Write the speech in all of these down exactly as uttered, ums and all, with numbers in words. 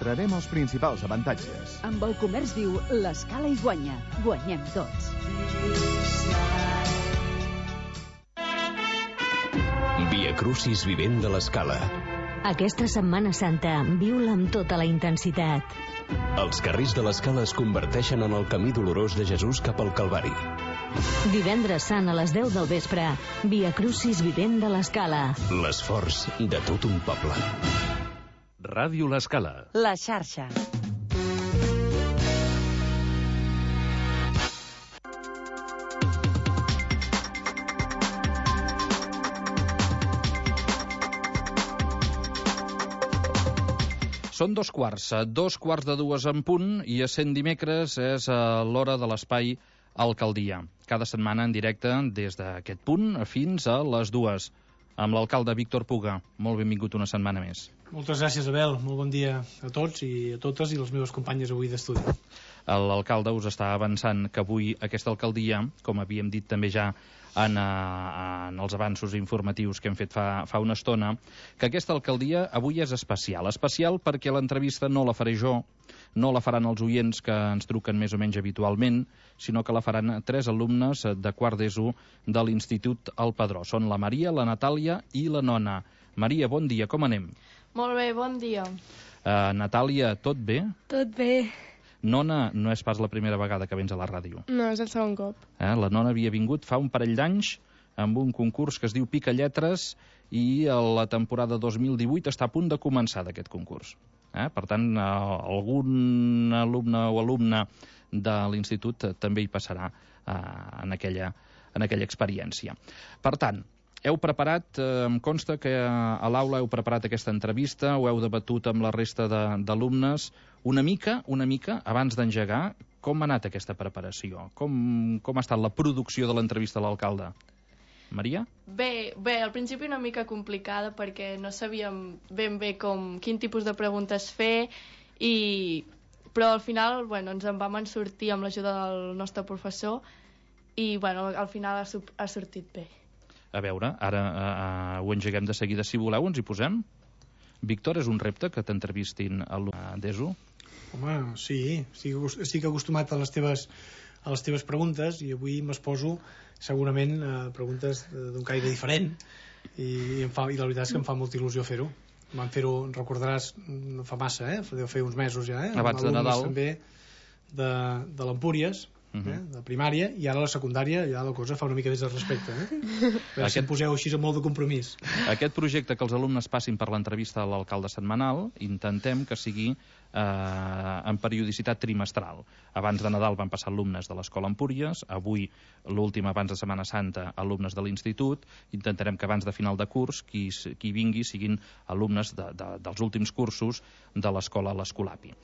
mostrarem els principals avantatges. Amb el comerç viu, l'Escala hi guanya. Guanyem tots. Via Crucis vivent de l'Escala. Aquesta Setmana Santa, viu-la amb tota la intensitat. Els carrers de l'Escala es converteixen en el camí dolorós de Jesús cap al Calvari. Divendres Sant a les deu del vespre, Via Crucis vivent de l'Escala. L'esforç de tot un poble. Ràdio l'Escala. La xarxa. Són dos quarts, dos quarts de dues en punt, i essent dimecres és l'hora de l'espai Alcaldia. Cada setmana en directe des d'aquest punt fins a les dues. Amb l'alcalde Víctor Puga. Molt benvingut una setmana més. Moltes gràcies, Abel. Molt bon dia a tots i a totes i les meves companyes avui d'estudi. L'alcalde us està avançant que avui aquesta alcaldia, com havíem dit també ja en, en els avanços informatius que hem fet fa, fa una estona, que aquesta alcaldia avui és especial. Especial perquè l'entrevista no la faré jo, no la faran els oients que ens truquen més o menys habitualment, sinó que la faran tres alumnes de quart d'ESO de l'Institut El Padró. Són la Maria, la Natàlia i la Nona. Maria, bon dia, com anem? Molt bé, bon dia. Uh, Natàlia, tot bé? Tot bé. Nona, no és pas la primera vegada que vens a la ràdio. No, és el segon cop. Eh? La Nona havia vingut fa un parell d'anys amb un concurs que es diu Pica Lletres i la temporada dos mil divuit està a punt de començar d'aquest concurs. Eh? Per tant, eh, algun alumne o alumna de l'institut també hi passarà eh, en, aquella, en aquella experiència. Per tant, heu preparat, eh, em consta que a l'aula heu preparat aquesta entrevista, ho heu debatut amb la resta d'alumnes. Una mica, una mica, abans d'engegar, com ha anat aquesta preparació? Com, com ha estat la producció de l'entrevista a l'alcalde? Maria? Bé, bé, al principi una mica complicada perquè no sabíem ben bé com, quin tipus de preguntes fer, i, però al final bueno, ens en vam en sortir amb l'ajuda del nostre professor i bueno, al final ha, ha sortit bé. A veure, ara uh, ho engeguem de seguida. Si voleu, ens hi posem. Víctor, és un repte que t'entrevistin a d'ESO? Home, sí, estic, estic acostumat a les teves, a les teves preguntes i avui m'exposo segurament a preguntes d'un caire diferent i, i, em fa, i la veritat és que em fa molta il·lusió fer-ho. Vam fer-ho, recordaràs, no fa massa, eh? Deu fer uns mesos ja, eh? Abans de Nadal. També de, de l'Empúries, Uh -huh. eh? de primària, i ara a la secundària ja la cosa fa una mica més de respecte, eh? Aquest... si em poseu així amb molt de compromís. Aquest projecte que els alumnes passin per l'entrevista a l'alcalde setmanal, intentem que sigui eh, en periodicitat trimestral. Abans de Nadal van passar alumnes de l'Escola Empúries, avui l'últim abans de Setmana Santa alumnes de l'institut. Intentarem que abans de final de curs qui, qui vingui siguin alumnes de, de, dels últims cursos de l'Escola l'Escolapi.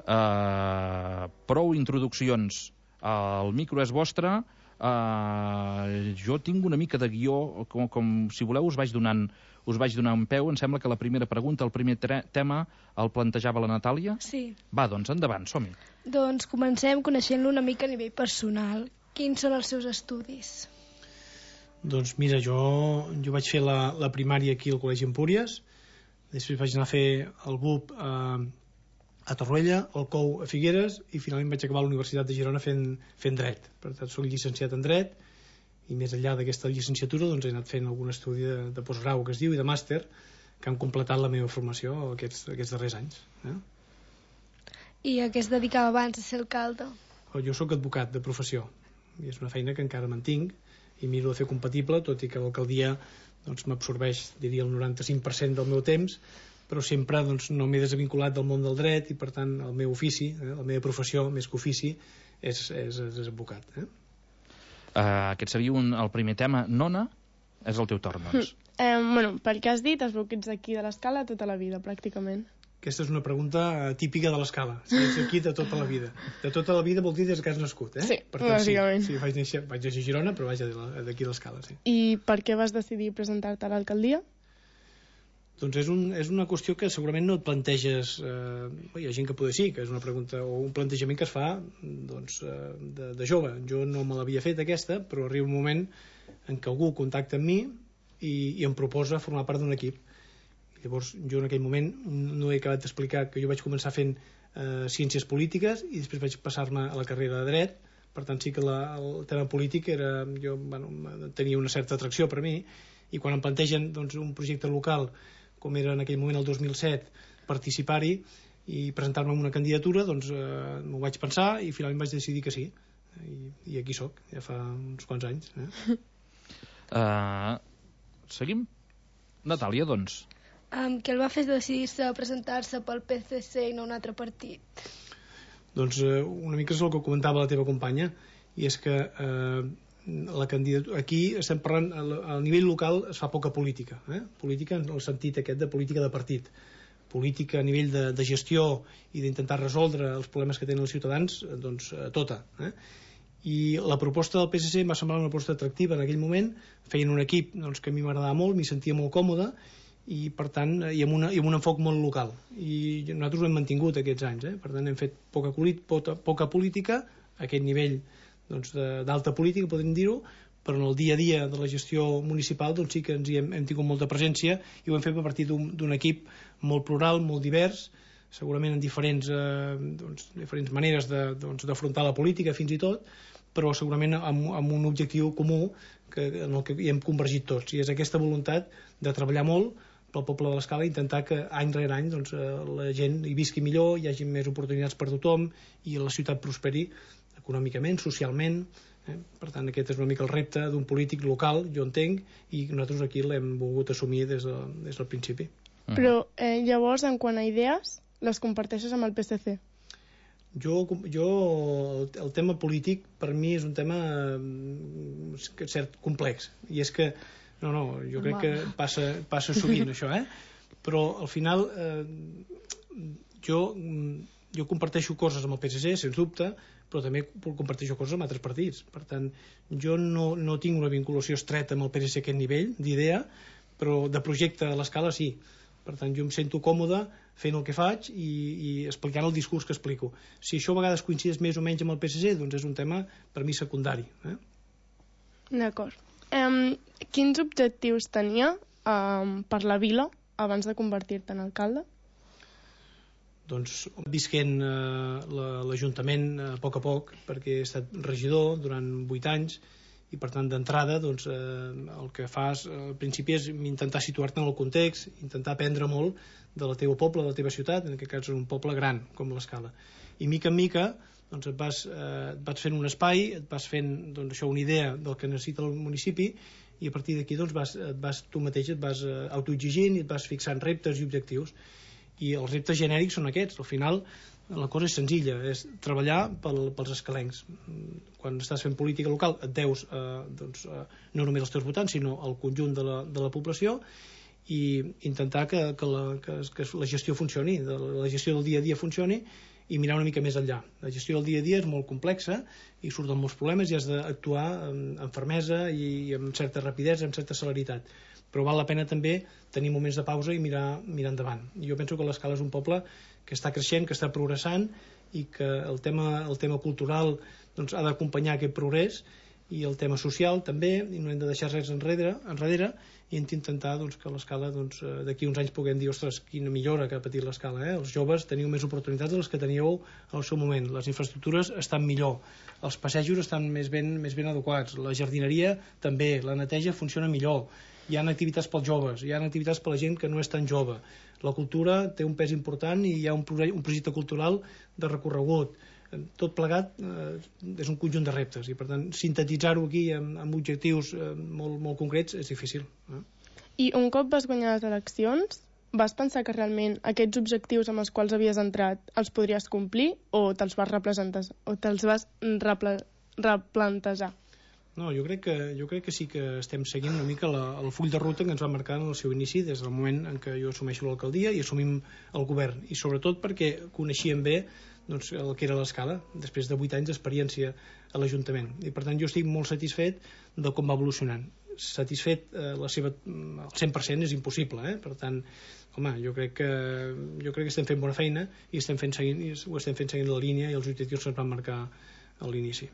Eh, prou introduccions. El micro és vostre. Uh, jo tinc una mica de guió, com, com si voleu us vaig donant us vaig donar un peu. Em sembla que la primera pregunta, el primer tema el plantejava la Natàlia. Sí. Va, doncs endavant, som-hi. Doncs comencem coneixent-lo una mica a nivell personal. Quins són els seus estudis? Doncs mira, jo, jo vaig fer la, la primària aquí al Col·legi Empúries, després vaig anar a fer el B U P eh, a Torroella, el C O U a Figueres i finalment vaig acabar a la Universitat de Girona fent, fent dret. Per tant, soc llicenciat en dret i més enllà d'aquesta llicenciatura doncs, he anat fent algun estudi de, de postgrau que es diu i de màster que han completat la meva formació aquests, aquests darrers anys. Eh? I a què es dedicava abans de ser alcalde? Jo sóc advocat de professió i és una feina que encara mantinc i miro de fer compatible, tot i que l'alcaldia doncs, m'absorbeix, diria, el noranta-cinc per cent del meu temps, però sempre doncs, no m'he desvinculat del món del dret i per tant el meu ofici, eh, la meva professió més que ofici és, és, és advocat. Eh? Uh, aquest seria un, el primer tema. Nona, és el teu torn, doncs. Eh, bueno, pel que has dit, es veu que ets d'aquí de l'Escala tota la vida, pràcticament. Aquesta és una pregunta típica de l'Escala. Si ets aquí de tota la vida. De tota la vida vol dir des que has nascut, eh? Sí, per tant, bàsicament. Sí, sí, vaig néixer, vaig néixer a Girona, però vaig d'aquí de l'Escala, sí. I per què vas decidir presentar-te a l'alcaldia? Doncs és, un, és una qüestió que segurament no et planteges, eh, hi ha gent que potser sí, que és una pregunta o un plantejament que es fa doncs, eh, de, de jove. Jo no me l'havia fet aquesta, però arriba un moment en què algú contacta amb mi i, i em proposa formar part d'un equip. Llavors jo en aquell moment no he acabat d'explicar que jo vaig començar fent eh, ciències polítiques i després vaig passar-me a la carrera de dret. Per tant sí que la, el tema polític era, jo, bueno, tenia una certa atracció per a mi, i quan em plantegen doncs, un projecte local com era en aquell moment el dos mil set, participar-hi i presentar-me una candidatura, doncs eh, m'ho vaig pensar i finalment vaig decidir que sí, i, i aquí sóc, ja fa uns quants anys. Eh? Uh, seguim? Natàlia, doncs. Um, què el va fer decidir-se a presentar-se pel P S C i no un altre partit? Doncs eh, una mica és el que comentava la teva companya, i és que eh, la candidatura, aquí estem parlant, al nivell local es fa poca política, eh? Política en el sentit aquest de política de partit, política a nivell de, de gestió i d'intentar resoldre els problemes que tenen els ciutadans, doncs eh, tota, eh? I la proposta del P S C m'ha semblat una proposta atractiva en aquell moment. Feien un equip doncs, que a mi m'agradava molt, m'hi sentia molt còmode, i per tant, i amb, una, i amb un enfoc molt local, i nosaltres ho hem mantingut aquests anys, eh? Per tant hem fet poca, poca, poca política a aquest nivell doncs, d'alta política, podríem dir-ho, però en el dia a dia de la gestió municipal doncs sí que ens hi hem, hem tingut molta presència, i ho hem fet a partir d'un equip molt plural, molt divers, segurament en diferents, eh, doncs, diferents maneres d'afrontar doncs, la política fins i tot, però segurament amb, amb un objectiu comú que, en el que hi hem convergit tots, i és aquesta voluntat de treballar molt pel poble de l'Escala, intentar que any rere any doncs, la gent hi visqui millor, hi hagi més oportunitats per tothom i la ciutat prosperi econòmicament, socialment. Eh? Per tant, aquest és una mica el repte d'un polític local, jo entenc, i nosaltres aquí l'hem volgut assumir des, de, des del principi. Mm. Però eh, llavors, en quant a idees, les comparteixes amb el P S C? Jo, jo el tema polític per mi és un tema cert complex, i és que no, no, jo crec que passa, passa sovint això, eh? Però al final eh, jo, jo comparteixo coses amb el P S C, sens dubte, però també comparteixo coses amb altres partits. Per tant, jo no, no tinc una vinculació estreta amb el P S C a aquest nivell d'idea, però de projecte a l'Escala sí. Per tant, jo em sento còmode fent el que faig i, i explicant el discurs que explico. Si això a vegades coincideix més o menys amb el P S C, doncs és un tema per mi secundari. Eh? D'acord. Um, quins objectius tenia um, per la vila abans de convertir-te en alcalde? Doncs visquent eh, l'Ajuntament a poc a poc, perquè he estat regidor durant vuit anys, i per tant d'entrada doncs, eh, el que fas al principi és intentar situar-te en el context, intentar aprendre molt del teu poble, de la teva ciutat, en aquest cas és un poble gran com l'Escala, i mica en mica doncs, et, vas, eh, et vas fent un espai, et vas fent doncs, això, una idea del que necessita el municipi, i a partir d'aquí doncs, vas, et vas, tu mateix et vas eh, autoexigint i et vas fixant reptes i objectius, i els reptes genèrics són aquests. Al final la cosa és senzilla, és treballar pel, pels escalencs. Quan estàs fent política local et deus eh, doncs, eh, no només als teus votants sinó al conjunt de la, de la població, i intentar que, que, la, que, que la gestió funcioni, de la gestió del dia a dia funcioni, i mirar una mica més enllà. La gestió del dia a dia és molt complexa i surten molts problemes i has d'actuar amb, amb fermesa i amb certa rapidesa, amb certa celeritat, però val la pena també tenir moments de pausa i mirar, mirar endavant. Jo penso que l'Escala és un poble que està creixent, que està progressant, i que el tema, el tema cultural doncs, ha d'acompanyar aquest progrés, i el tema social també, i no hem de deixar res enrere, enrere i hem d'intentar doncs, que l'Escala doncs, d'aquí uns anys puguem dir, ostres, quina millora que ha patit l'Escala, eh? Els joves teniu més oportunitats de les que teníeu al seu moment, les infraestructures estan millor, els passejos estan més ben, més ben adequats, la jardineria també, la neteja funciona millor, hi ha activitats pels joves, hi ha activitats per la gent que no és tan jove, la cultura té un pes important i hi ha un, un projecte cultural de recorregut. Tot plegat eh, és un conjunt de reptes, i per tant sintetitzar-ho aquí amb, amb objectius eh, molt, molt concrets és difícil. Eh? I un cop vas guanyar les eleccions, vas pensar que realment aquests objectius amb els quals havies entrat els podries complir, o te'ls vas replantejar, o te'ls vas repla, replantejar? No, jo crec, que, jo crec que sí que estem seguint una mica la, el full de ruta que ens va marcar en el seu inici, des del moment en què jo assumeixo l'alcaldia i assumim el govern, i sobretot perquè coneixíem bé doncs, el que era l'Escala, després de vuit anys d'experiència a l'Ajuntament, i per tant jo estic molt satisfet de com va evolucionant. Satisfet eh, la seva, el cent per cent és impossible, eh? Per tant, home, jo crec que jo crec que estem fent bona feina i estem fent seguint, ho estem fent seguint la línia i els objectius que ens van marcar a l'inici.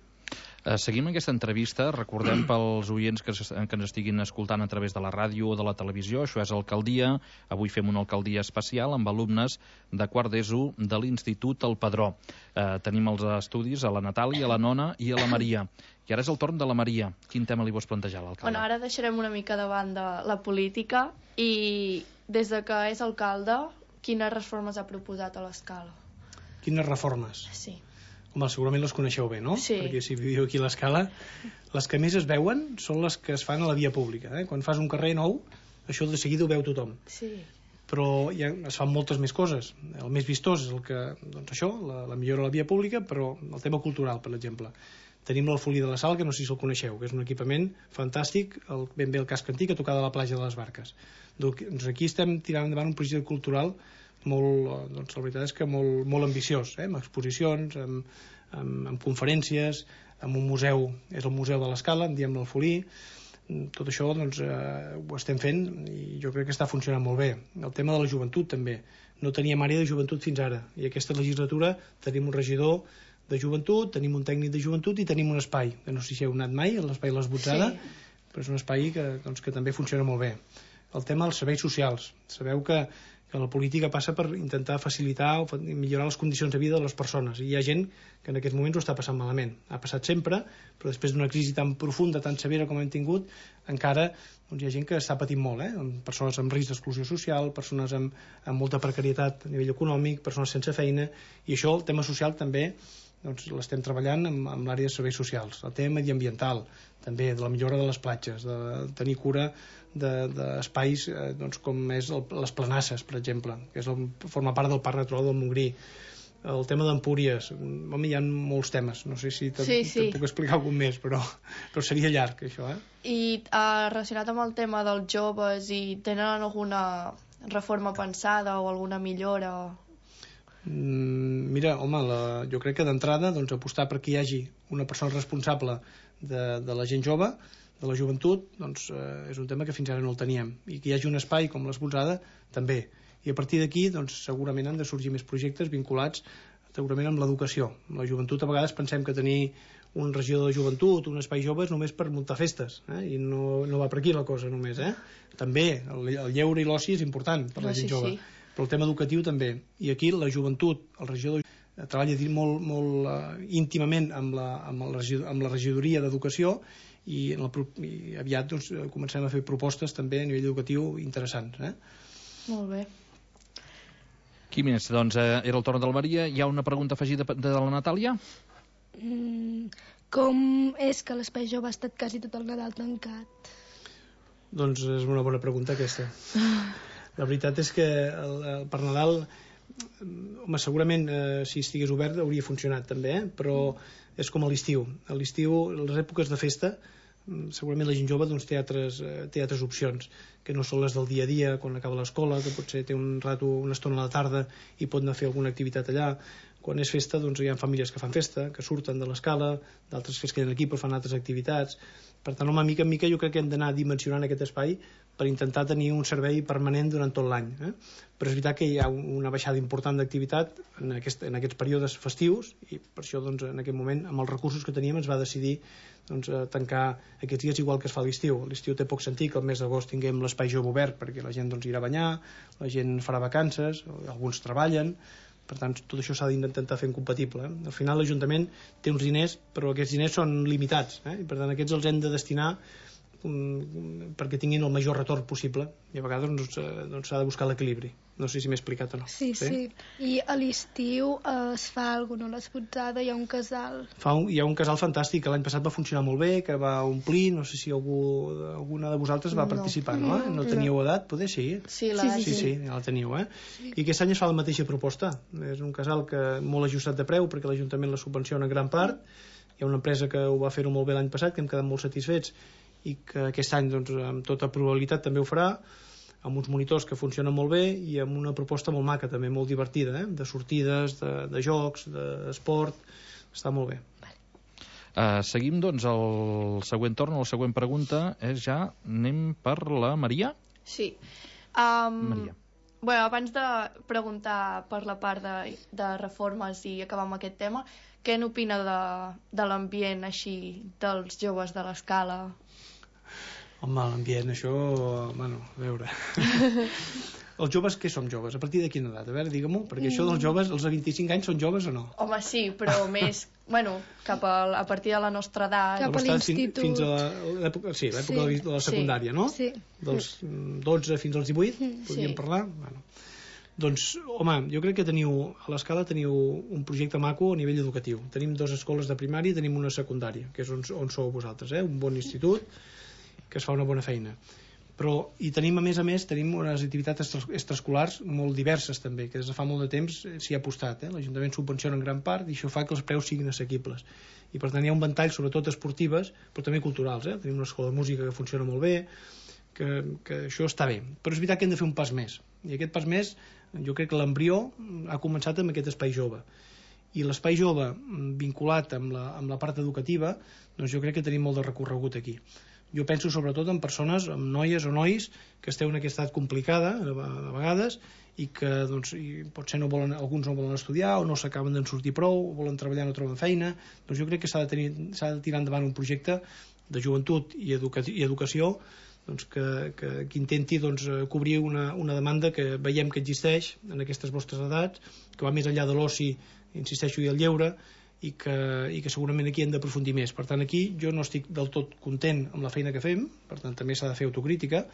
Uh, seguim aquesta entrevista. Recordem pels oients que, que ens estiguin escoltant a través de la ràdio o de la televisió. Això és Alcaldia. Avui fem una alcaldia especial amb alumnes de quart d'ESO de l'Institut El Padró. Uh, tenim els estudis a la Natàlia, a la Nona i a la Maria. I ara és el torn de la Maria. Quin tema li vols plantejar a l'alcalde? Bueno, ara deixarem una mica de banda la política i des de que és alcalde, quines reformes ha proposat a l'Escala? Quines reformes? Sí. Home, segurament les coneixeu bé, no? Sí. Perquè si viviu aquí a l'Escala, les que més es veuen són les que es fan a la via pública. Eh? Quan fas un carrer nou, això de seguida ho veu tothom. Sí. Però ja es fan moltes més coses. El més vistós és el que, doncs això, la, la millora de la via pública, però el tema cultural, per exemple. Tenim l'Alfolí de la Sal, que no sé si el coneixeu, que és un equipament fantàstic, el, ben bé el casc antic, a tocar de la platja de les Barques. Doncs aquí estem tirant endavant un projecte cultural molt, doncs la veritat és que molt, molt ambiciós, eh? Amb exposicions, amb, amb, amb conferències, amb un museu, és el Museu de l'Escala, en diem l'Alfolí. Tot això doncs, eh, ho estem fent i jo crec que està funcionant molt bé. El tema de la joventut també. No teníem àrea de joventut fins ara i aquesta legislatura tenim un regidor de joventut, tenim un tècnic de joventut i tenim un espai, que no sé si heu anat mai, l'espai de l'Esbotzada, sí. Però és un espai que, doncs, que també funciona molt bé. El tema dels serveis socials. Sabeu que que la política passa per intentar facilitar o millorar les condicions de vida de les persones i hi ha gent que en aquests moments ho està passant malament. Ha passat sempre, però després d'una crisi tan profunda, tan severa com hem tingut, encara doncs, hi ha gent que està patint molt, eh? Persones amb risc d'exclusió social, persones amb, amb molta precarietat a nivell econòmic, persones sense feina, i això, el tema social també doncs, l'estem treballant amb, amb l'àrea de serveis socials. El tema mediambiental, també, de la millora de les platges, de tenir cura d'espais de, de eh, doncs, com és el, les planasses, per exemple, que és el, forma part del Parc Natural del Montgrí. El tema d'Empúries, home, hi ha molts temes, no sé si te, sí, sí. te puc explicar algun més, però, però seria llarg, això, eh? I uh, relacionat amb el tema dels joves, i tenen alguna reforma pensada o alguna millora? Mm, mira, home, la, jo crec que d'entrada doncs, apostar perquè hi hagi una persona responsable de, de la gent jove, de la joventut, doncs, eh, és un tema que fins ara no el teníem, i que hi hagi un espai com l'Esbotzada també, i a partir d'aquí doncs, segurament han de sorgir més projectes vinculats segurament amb l'educació. La joventut a vegades pensem que tenir un regidor de joventut, un espai jove és només per muntar festes, eh? I no, no va per aquí la cosa només, eh? També el, el lleure i l'oci és important per la gent jove, sí. Però el tema educatiu també, i aquí la joventut, el regidor treballa molt, molt uh, íntimament amb la, amb, el regidor, amb la regidoria d'educació i, en el, i aviat doncs, comencem a fer propostes també a nivell educatiu interessants, eh? Molt bé. Qui més? Doncs eh, era el torn del Maria. Hi ha una pregunta afegida de, de la Natàlia? Mm, com és que l'espai jove ha estat quasi tot el Nadal tancat? Doncs és una bona pregunta aquesta. La veritat és que el, el, per Nadal home, segurament eh, si estigués obert hauria funcionat també, eh? Però és com a l'estiu. A l'estiu, les èpoques de festa, segurament la gent jove doncs, té, altres, té altres opcions que no són les del dia a dia, quan acaba l'escola, que potser té un rato, una estona a la tarda i pot anar a fer alguna activitat allà. Quan és festa doncs, hi ha famílies que fan festa, que surten de l'escala, d'altres que es queden aquí però fan altres activitats. Per tant, home, mica en mica jo crec que hem d'anar dimensionant aquest espai per intentar tenir un servei permanent durant tot l'any, eh? Però és veritat que hi ha una baixada important d'activitat en, aquest, en aquests períodes festius i per això doncs, en aquest moment amb els recursos que teníem ens va decidir doncs, tancar aquests dies igual que es fa a l'estiu. A l'estiu té poc sentit que el mes d'agost tinguem l'espai jove obert perquè la gent doncs, irà a banyar, la gent farà vacances, alguns treballen, per tant tot això s'ha d'intentar fer incompatible, eh? Al final l'Ajuntament té uns diners però aquests diners són limitats, eh? I per tant aquests els hem de destinar um, perquè tinguin el major retorn possible i a vegades doncs, s'ha doncs, de buscar l'equilibri. No sé si m'he explicat o no. Sí, sí, sí. I a l'estiu eh, es fa alguna cosa, a l'Esbotzada hi ha un casal. Fa un, hi ha un casal fantàstic que l'any passat va funcionar molt bé, que va omplir, no sé si algú, alguna de vosaltres va no. participar, no? No, no teníeu edat? Poder sí. Sí, la sí, sí, sí, sí, ja la teniu, eh? Sí. I aquest any es fa la mateixa proposta. És un casal que molt ajustat de preu perquè l'Ajuntament la subvenciona en gran part. Hi ha una empresa que ho va fer-ho molt bé l'any passat, que hem quedat molt satisfets i que aquest any, doncs, amb tota probabilitat també ho farà, amb uns monitors que funcionen molt bé i amb una proposta molt maca, també molt divertida, eh? De sortides, de, de jocs, d'esport, està molt bé. Uh, seguim, doncs, el següent torn, la següent pregunta és ja, anem per la Maria? Sí. Um, Maria. Bueno, abans de preguntar per la part de, de reformes i acabar amb aquest tema, què n'opina de, de l'ambient així dels joves de l'Escala? Home, l'ambient, això... Bueno, a veure... Els joves, què som joves? A partir de quina edat? A veure, digue-m'ho, perquè mm. això dels joves, els de vint-i-cinc anys són joves o no? Home, sí, però més, bueno, cap a, a partir de la nostra edat. Cap a l'institut. Fins a l'època, sí, l'època sí. de la secundària, sí. no? Sí. Dels dotze fins als divuit, sí. podríem parlar? Bueno. Doncs, home, jo crec que teniu, a l'Escala teniu un projecte maco a nivell educatiu. Tenim dues escoles de primària i tenim una secundària, que és on, on sou vosaltres, eh? Un bon institut que es fa una bona feina. Però, i tenim a més a més tenim unes activitats extraescolars molt diverses també, que des de fa molt de temps s'hi ha apostat, eh? L'Ajuntament subvenciona en gran part i això fa que els preus siguin assequibles i per tant hi ha un ventall sobretot esportives però també culturals, eh? Tenim una escola de música que funciona molt bé, que, que això està bé, però és veritat que hem de fer un pas més i aquest pas més jo crec que l'embrió ha començat amb aquest espai jove i l'espai jove vinculat amb la, amb la part educativa, doncs jo crec que tenim molt de recorregut aquí. Jo penso sobretot en persones, en noies o nois que esteu en aquesta edat complicada a vegades i que doncs, i potser no volen, alguns no volen estudiar o no s'acaben d'en sortir prou, o volen treballar i no troben feina, doncs jo crec que s'ha de, tenir, s'ha de tirar endavant un projecte de joventut i, educa i educació doncs, que, que, que intenti doncs, cobrir una, una demanda que veiem que existeix en aquestes vostres edats, que va més enllà de l'oci, insisteixo, i el lleure, i que, i que segurament aquí hem d'aprofundir més. Per tant, aquí jo no estic del tot content amb la feina que fem, per tant també s'ha de fer autocrítica,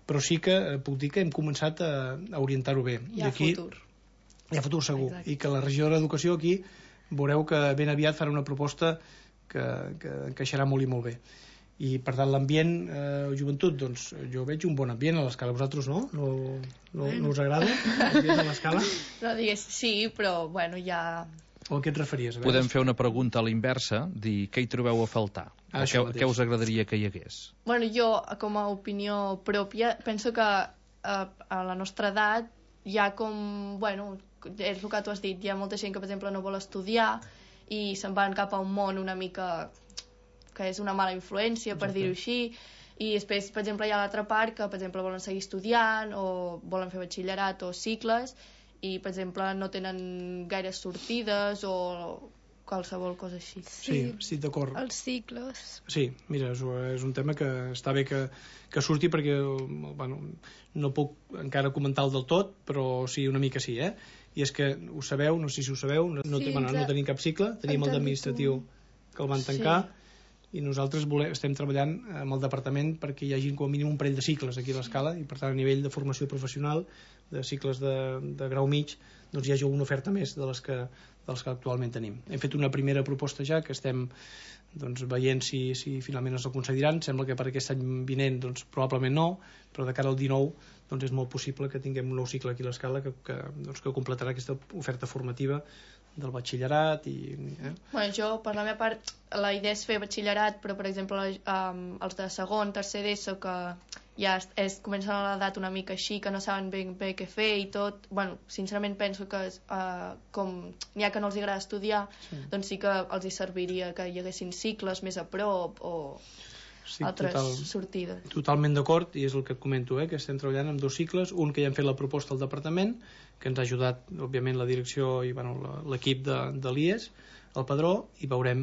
però sí que puc dir que hem començat a, a orientar-ho bé. Hi ha I aquí, futur. Hi ha futur segur. Exacte. I que la regidora d'Educació aquí veureu que ben aviat farà una proposta que, que encaixarà molt i molt bé. I per tant l'ambient eh, joventut, doncs jo veig un bon ambient a l'Escala. Vosaltres no? No, no, no us agrada l'ambient a l'Escala? No digués sí, però bueno, ja... O a què et referies? Podem fer una pregunta a l'inversa, dir què hi trobeu a faltar? Ah, o què, què us agradaria que hi hagués? Bueno, jo, com a opinió pròpia, penso que a, a la nostra edat hi ha com, bueno, és el que tu has dit, hi ha molta gent que, per exemple, no vol estudiar i se'n van cap a un món una mica que és una mala influència, per dir-ho així, i després, per exemple, hi ha l'altra part que, per exemple, volen seguir estudiant o volen fer batxillerat o cicles i, per exemple, no tenen gaires sortides o qualsevol cosa així. Sí, estic d'acord. Els cicles. Sí, mira, és, és un tema que està bé que, que surti perquè bueno, no puc encara comentar-lo del tot, però sí, una mica sí, eh? I és que ho sabeu, no sé si ho sabeu, no, sí, bueno, no tenim cap cicle, tenim el d'administratiu que el van tancar, sí. I nosaltres volem, estem treballant amb el departament perquè hi hagi com a mínim un parell de cicles aquí a l'Escala i per tant a nivell de formació professional de cicles de, de grau mig doncs hi hagi alguna oferta més de les que, dels que actualment tenim. Hem fet una primera proposta ja que estem doncs, veient si, si finalment es concediran. Sembla que per aquest any vinent doncs, probablement no, però de cara al dinou doncs, és molt possible que tinguem un nou cicle aquí a l'Escala que, que, doncs, que completarà aquesta oferta formativa del batxillerat i... Eh? Bueno, jo, per la meva part, la idea és fer batxillerat, però, per exemple, um, els de segon, tercer d'ESO, que ja es, es comencen a l'edat una mica així, que no saben ben bé què fer i tot, bueno, sincerament penso que uh, com n'hi ha que no els agrada estudiar, sí. Doncs sí que els hi serviria que hi haguessin cicles més a prop o... Sí, altres total, sortides. Totalment d'acord, i és el que et comento, eh, que estem treballant amb dos cicles, un que ja hem fet la proposta al departament, que ens ha ajudat, òbviament, la direcció i bueno, l'equip de, de l'I E S, el padró, i veurem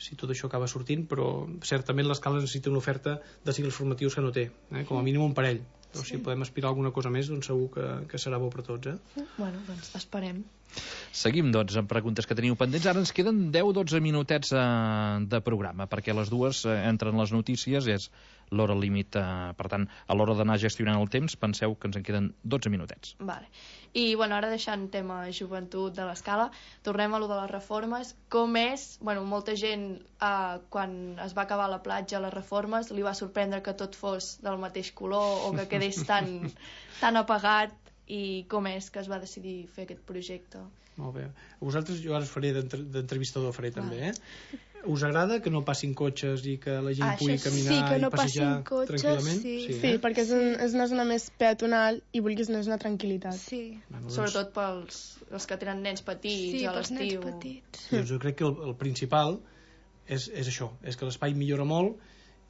si tot això acaba sortint, però certament l'Escala necessita una oferta de cicles formatius que no té, eh, com a mínim un parell. Doncs sí. Si podem aspirar a alguna cosa més, doncs segur que, que serà bo per tots. Eh? Bueno, doncs esperem. Seguim, doncs, amb preguntes que teniu pendents. Ara ens queden deu a dotze minutets eh, de programa, perquè a les dues eh, entren les notícies, és l'hora límit. Eh, per tant, a l'hora d'anar gestionant el temps, penseu que ens en queden dotze minutets. Vale. I, bueno, ara deixant tema joventut de l'Escala, tornem a lo de les reformes. Com és, bueno, molta gent, eh, quan es va acabar la platja, les reformes, li va sorprendre que tot fos del mateix color o que quedés tan, tan apagat. I com és que es va decidir fer aquest projecte? Molt bé. A vosaltres jo ara us faré d'entrevistador, faré també, eh? Us agrada que no passin cotxes i que la gent ah, pugui caminar sí, que no i passejar cotxes, tranquil·lament? Sí, sí, sí eh? perquè és, un, és una zona més peatonal i vulguis més una tranquil·litat. Sí. Bueno, doncs... Sobretot pels els que tenen nens petits sí, a l'estiu. Sí, pels nens petits. Doncs jo crec que el, el principal és, és això, és que l'espai millora molt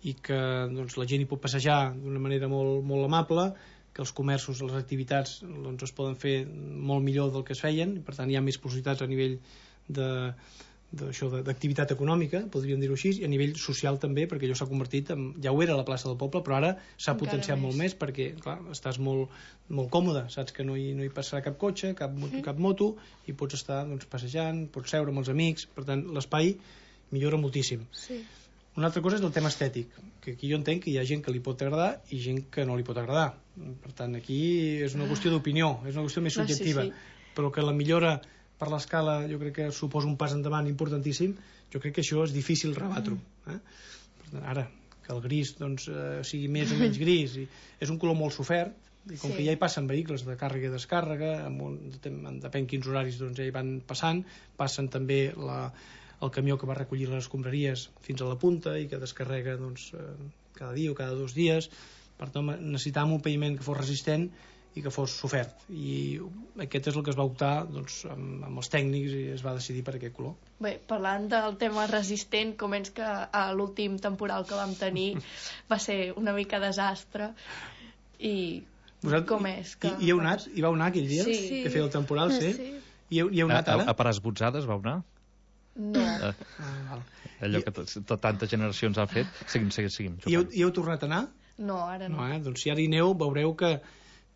i que doncs, la gent hi pot passejar d'una manera molt, molt amable, que els comerços, les activitats doncs, es poden fer molt millor del que es feien, per tant hi ha més possibilitats a nivell de d'això d'activitat econòmica, podríem dir-ho així, i a nivell social també, perquè allò s'ha convertit en, ja ho era a la plaça del poble, però ara s'ha potenciat més. molt més perquè, clar, estàs molt, molt còmode, saps que no hi, no hi passarà cap cotxe, cap, mm. cap moto, i pots estar doncs, passejant, pots seure amb els amics, per tant l'espai millora moltíssim. Sí. Una altra cosa és el tema estètic, que aquí jo entenc que hi ha gent que li pot agradar i gent que no li pot agradar. Per tant, aquí és una qüestió d'opinió, és una qüestió més subjectiva, no, sí, sí. però que la millora per l'escala jo crec que suposa un pas endavant importantíssim, jo crec que això és difícil rebatre-ho. Eh? Ara, que el gris doncs, eh, sigui més o menys gris, i és un color molt sofert, i com sí. que ja hi passen vehicles de càrrega i descàrrega, amb un, depèn quins horaris doncs, ja hi van passant, passen també la, el camió que va recollir les escombraries fins a la punta i que descarrega doncs, eh, cada dia o cada dos dies. Per tant, necessitàvem un paviment que fos resistent i que fos sofert, i aquest és el que es va optar doncs, amb, amb els tècnics, i es va decidir per aquest color. Bé, parlant del tema resistent, com és que a l'últim temporal que vam tenir va ser una mica desastre, i Vosaltres, com és que... I, i heu anat? Hi vau anar aquell dia? Sí. Que feia el temporal, sí? sí. I heu, hi heu anat a, ara? A, a per esbotzades vau anar? No. Uh, ah, allò que tantes generacions han fet. Seguim, seguim, seguim. I heu, i heu tornat a anar? No, ara no. no eh? Doncs si ara hi aneu, veureu que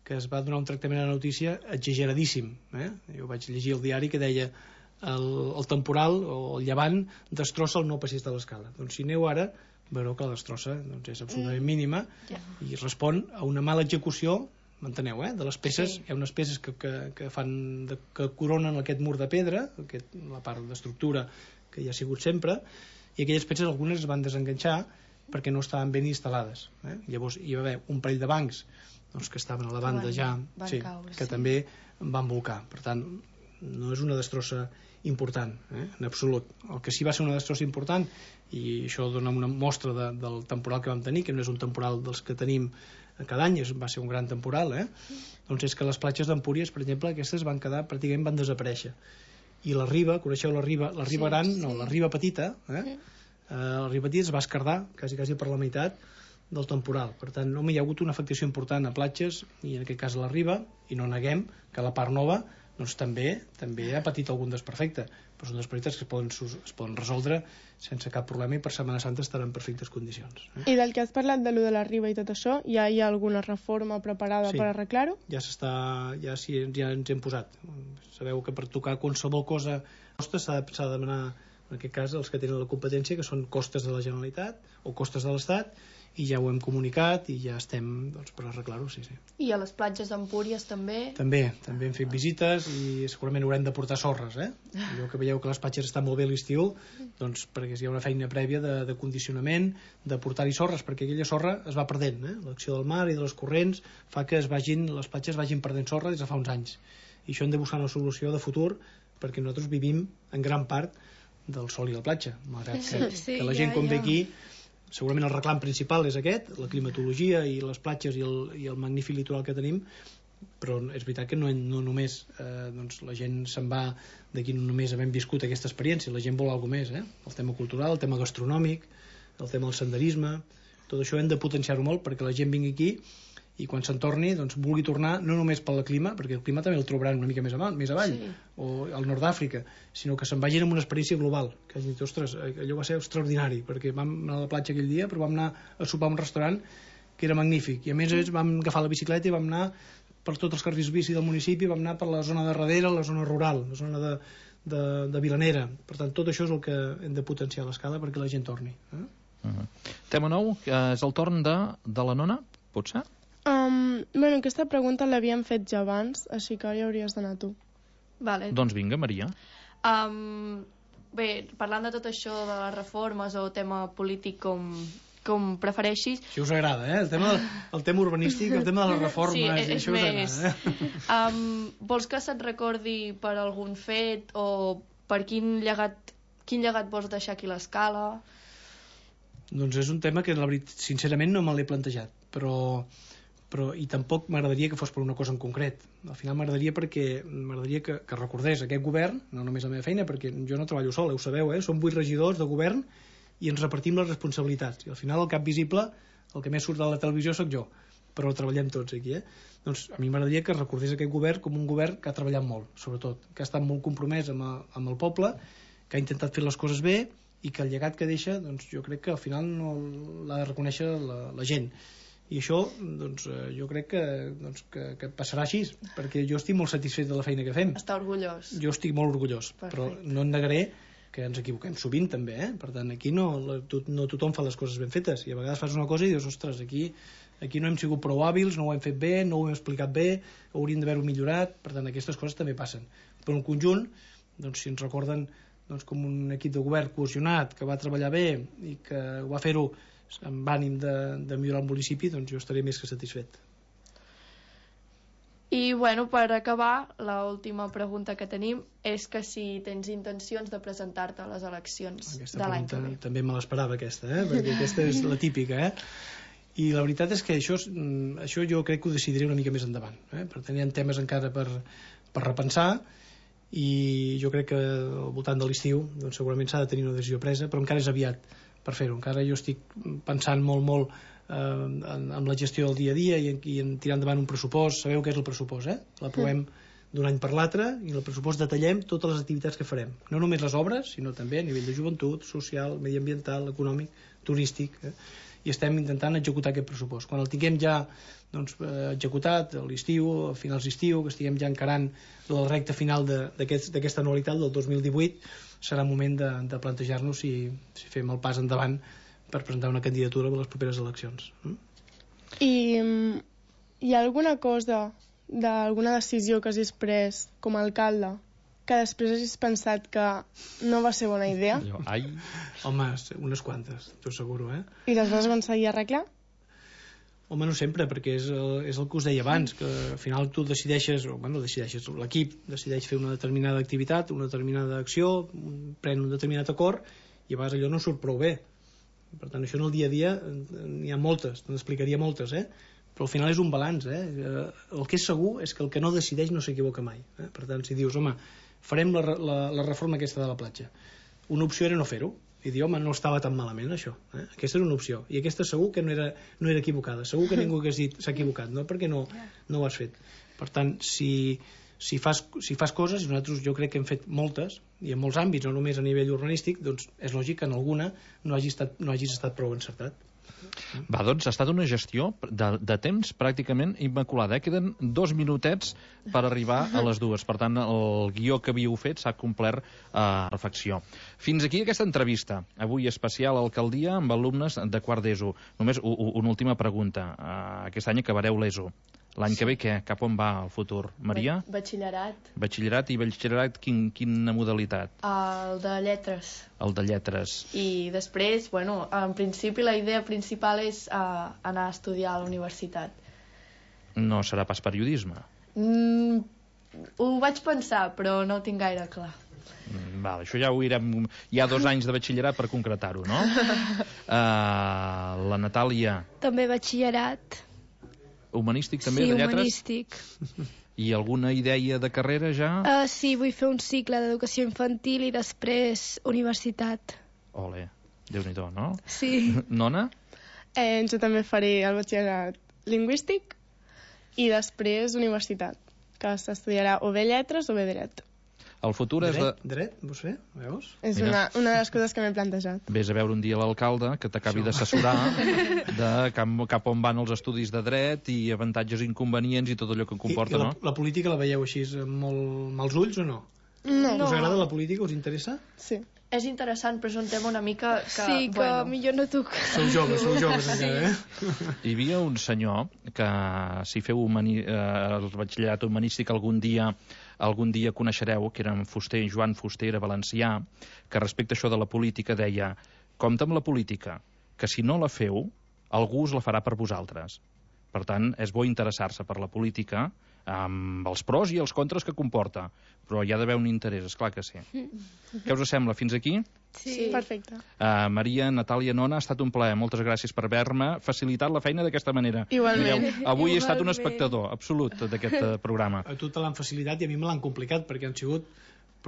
que es va donar un tractament a la notícia exageradíssim. Eh? Jo vaig llegir el diari que deia el, el temporal o el llevant destrossa el nou passeig de l'escala. Doncs si aneu ara, veureu que la destrossa doncs, és absolutament mínima yeah. i respon a una mala execució, m'enteneu, eh? de les peces. Sí. Hi ha unes peces que, que, que, fan de, que coronen aquest mur de pedra, aquest, la part d'estructura que hi ha sigut sempre, i aquelles peces algunes es van desenganxar perquè no estaven ben instal·lades. Eh? Llavors hi va haver un parell de bancs doncs, que estaven a la banda van, ja van sí, caure, que sí. també van volcar. Per tant, no és una destrossa important, eh? en absolut. El que sí va ser una destrossa important, i això dona una mostra de, del temporal que vam tenir, que no és un temporal dels que tenim cada any, és, va ser un gran temporal, eh? doncs és que les platges d'Empúries, per exemple, aquestes van quedar, pràcticament van desaparèixer. I la riba, coneixeu la riba, la riba sí, gran, sí. no, la riba petita, eh? Sí. Eh, la riba petita es va esquerdar quasi, quasi per la meitat del temporal. Per tant, no hi ha hagut una afectació important a platges, i en aquest cas a la riba, i no neguem que la part nova doncs, també també ha patit algun desperfecte, però són desperfectes que es poden, es poden resoldre sense cap problema, i per Setmana Santa estaran en perfectes condicions. Eh? I del que has parlat de lo de la riba i tot això, ja hi ha alguna reforma preparada sí. per arreglar-ho? Ja s'està, ja, sí, ja ens hem posat. Sabeu que per tocar qualsevol cosa s'ha de, s'ha de demanar, en aquest cas, els que tenen la competència, que són costes de la Generalitat o costes de l'Estat, i ja ho hem comunicat i ja estem doncs, per arreglar-ho, sí, sí. I a les platges d'Empúries també? També, també hem fet visites i segurament haurem de portar sorres, eh? Allò que veieu que les platges estan molt bé a l'estiu, doncs perquè hi ha una feina prèvia de, de condicionament, de portar-hi sorres, perquè aquella sorra es va perdent, eh? L'acció del mar i de les corrents fa que es vagin, les platges vagin perdent sorra des de fa uns anys. I això hem de buscar una solució de futur, perquè nosaltres vivim en gran part del sol i la platja, malgrat que, sí, que la gent ja, quan ja. ve aquí, segurament el reclam principal és aquest, la climatologia i les platges i el, i el magnífic litoral que tenim, però és veritat que no, no només eh, doncs la gent se'n va d'aquí no només havent viscut aquesta experiència, la gent vol alguna més, eh? El tema cultural, el tema gastronòmic, el tema del senderisme, tot això hem de potenciar-ho molt perquè la gent vingui aquí i quan se'n torni doncs, vulgui tornar no només pel clima, perquè el clima també el trobaran una mica més avall, més avall sí. o al nord d'Àfrica, sinó que se'n vagin amb una experiència global, que hagin dit, ostres, allò va ser extraordinari, perquè vam anar a la platja aquell dia, però vam anar a sopar a un restaurant que era magnífic, i a més mm. vam agafar la bicicleta i vam anar per tots els carrils bici del municipi, vam anar per la zona de darrere, la zona rural, la zona de, de, de Vilanera. Per tant, tot això és el que hem de potenciar a l'escala perquè la gent torni. Eh? Uh-huh. Tema nou, que és el torn de, de la nona, potser? Um, bueno, aquesta pregunta l'havíem fet ja abans, així que ara hi hauries d'anar tu. Vale. Doncs vinga, Maria. Um, bé, parlant de tot això de les reformes o tema polític com, com prefereixis... Això us agrada, eh? El tema, el tema urbanístic, el tema de les reformes, sí, és, això us més... agrada, eh? Um, vols que se't recordi per algun fet o per quin llegat, quin llegat vols deixar aquí a l'escala? Doncs és un tema que, la veritat, sincerament, no me l'he plantejat, però... però i tampoc m'agradaria que fos per una cosa en concret. Al final m'agradaria perquè m'agradaria que, que recordés aquest govern, no només la meva feina, perquè jo no treballo sol, ho sabeu, eh? Som vuit regidors de govern i ens repartim les responsabilitats. I al final el cap visible, el que més surt de la televisió sóc jo. però treballem tots aquí, eh? Doncs a mi m'agradaria que recordés aquest govern com un govern que ha treballat molt, sobretot, que ha estat molt compromès amb, a, amb el poble, que ha intentat fer les coses bé i que el llegat que deixa, doncs jo crec que al final no l'ha de reconèixer la, la gent. I això, doncs, jo crec que, doncs, que, que passarà així, perquè jo estic molt satisfet de la feina que fem. Està orgullós. Jo estic molt orgullós, Perfecte. Però no en negaré que ens equivoquem sovint també, eh? Per tant, aquí no, to, no tothom fa les coses ben fetes, i a vegades fas una cosa i dius, ostres, aquí, aquí no hem sigut prou hàbils, no ho hem fet bé, no ho hem explicat bé, hauríem d'haver-ho millorat, per tant, aquestes coses també passen. Però en conjunt, doncs, si ens recorden doncs, com un equip de govern cohesionat, que va treballar bé i que ho va fer-ho amb ànim de, de millorar el municipi, doncs jo estaré més que satisfet. I, bueno, per acabar, l'última pregunta que tenim és que si tens intencions de presentar-te a les eleccions Aquesta de l'any que ve. També me l'esperava, aquesta, eh? Perquè aquesta és la típica, eh? I la veritat és que això, això jo crec que ho decidiré una mica més endavant, eh? Per tant, hi ha temes encara per, per repensar, i jo crec que al voltant de l'estiu doncs segurament s'ha de tenir una decisió presa, però encara és aviat per fer-ho. Encara jo estic pensant molt, molt eh, en, en la gestió del dia a dia i en, i en tirar endavant un pressupost. Sabeu què és el pressupost, eh? L'aprovem d'un any per l'altre i en el pressupost detallem totes les activitats que farem. No només les obres, sinó també a nivell de joventut, social, mediambiental, econòmic, turístic, eh? I estem intentant executar aquest pressupost. Quan el tinguem ja doncs, eh, executat a l'estiu, a finals d'estiu, que estiguem ja encarant la recta final d'aquesta aquest, anualitat del dos mil divuit, serà moment de, de plantejar-nos si, si fem el pas endavant per presentar una candidatura a les properes eleccions. Mm? I um, hi ha alguna cosa d'alguna decisió que hagis pres com a alcalde que després hagis pensat que no va ser bona idea? Ai. Home, unes quantes, t'ho asseguro, eh? I les vas aconseguir arreglar? Home, no sempre, perquè és el, és el que us deia abans, que al final tu decideixes, o bueno, decideixes, l'equip decideix fer una determinada activitat, una determinada acció, pren un determinat acord, i a vegades allò no surt prou bé. Per tant, això en el dia a dia n'hi ha moltes, te n'explicaria moltes, eh? Però al final és un balanç, eh? El que és segur és que el que no decideix no s'equivoca mai, eh? Per tant, si dius, home, farem la, la, la reforma aquesta de la platja, una opció era no fer-ho, i dir, home, no estava tan malament això, eh? Aquesta era una opció, i aquesta segur que no era, no era equivocada, segur que ningú hagués dit s'ha equivocat, no? Perquè no, no ho has fet. Per tant, si, si, fas, si fas coses, i nosaltres jo crec que hem fet moltes, i en molts àmbits, no només a nivell urbanístic, doncs és lògic que en alguna no hagis estat, no hagis estat prou encertat. Va, doncs ha estat una gestió de, de temps pràcticament immaculada, eh? Queden dos minutets per arribar a les dues, per tant el guió que havíeu fet s'ha complert a eh, reflexió. Fins aquí aquesta entrevista, avui especial a Alcaldia amb alumnes de quart d'ESO. Només u, u, una última pregunta, uh, aquest any acabareu l'ESO. L'any sí. que ve què? Cap on va el futur? Maria? Batxillerat. Batxillerat, i batxillerat quin, quina modalitat? El de lletres. El de lletres. I després, bueno, en principi la idea principal és uh, anar a estudiar a la universitat. No serà pas periodisme? Mm, ho vaig pensar, però no ho tinc gaire clar. Mm, val, això ja ho irem... Hi ha dos anys de batxillerat per concretar-ho, no? uh, la Natàlia... També batxillerat. Humanístic també, sí, de lletres? Humanístic. I alguna idea de carrera ja? Uh, sí, vull fer un cicle d'educació infantil i després universitat. Ole, Déu-n'hi-do, no? Sí. Nona? Eh, jo també faré el batxillerat lingüístic i després universitat, que s'estudiarà o bé lletres o bé dret. El futur és... Dret, de... dret, vostè? Veus? És una, una de les coses que m'he plantejat. Vés a veure un dia l'alcalde que t'acabi d'assessorar de cap, cap on van els estudis de dret i avantatges i inconvenients i tot allò que comporta, I, i la, no? la política la veieu així amb molt mals ulls o no? No. Us agrada la política? Us interessa? Sí. És interessant, però és un tema una mica que... Sí, que bueno. millor no toc. Sou joves, sou joves encara, eh? Hi havia un senyor que, si feu humani, eh, el batxillerat humanístic algun dia algun dia coneixereu, que era en Fuster, Joan Fuster, era valencià, que respecte a això de la política deia: compte amb la política, que si no la feu, algú us la farà per vosaltres. Per tant, és bo interessar-se per la política, amb els pros i els contres que comporta, però hi ha d'haver un interès, esclar que sí. Què us sembla? Fins aquí? Sí, perfecte. Uh, Maria, Natàlia, Nona, ha estat un plaer. Moltes gràcies per haver-me facilitat la feina d'aquesta manera. Igualment. Mireu, avui Igualment. he estat un espectador absolut d'aquest uh, programa. A tu te l'han facilitat i a mi me l'han complicat, perquè han sigut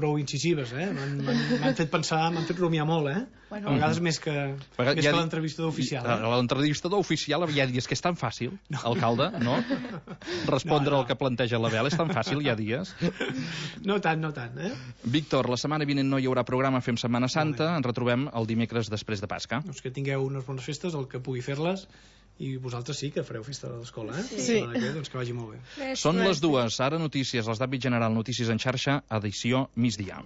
prou incisives, eh? M'han fet pensar, m'han fet rumiar molt, eh? Bueno, a vegades més que, més que l'entrevistador oficial. Eh? L'entrevistador oficial ja dies que és tan fàcil, no. Alcalde, no? Respondre no, no. al que planteja l'Abel és tan fàcil, hi ha dies. No tant, no tant, eh? Víctor, la setmana vinent no hi haurà programa Fem Setmana Santa, ens retrobem el dimecres després de Pasca. Doncs que tingueu unes bones festes, el que pugui fer-les, i vosaltres sí que fareu festa de l'escola, eh? Sí. Que, doncs que vagi molt bé. Gràcies. Són les dues, ara notícies, les d'àmbit general, notícies en xarxa, edició migdia.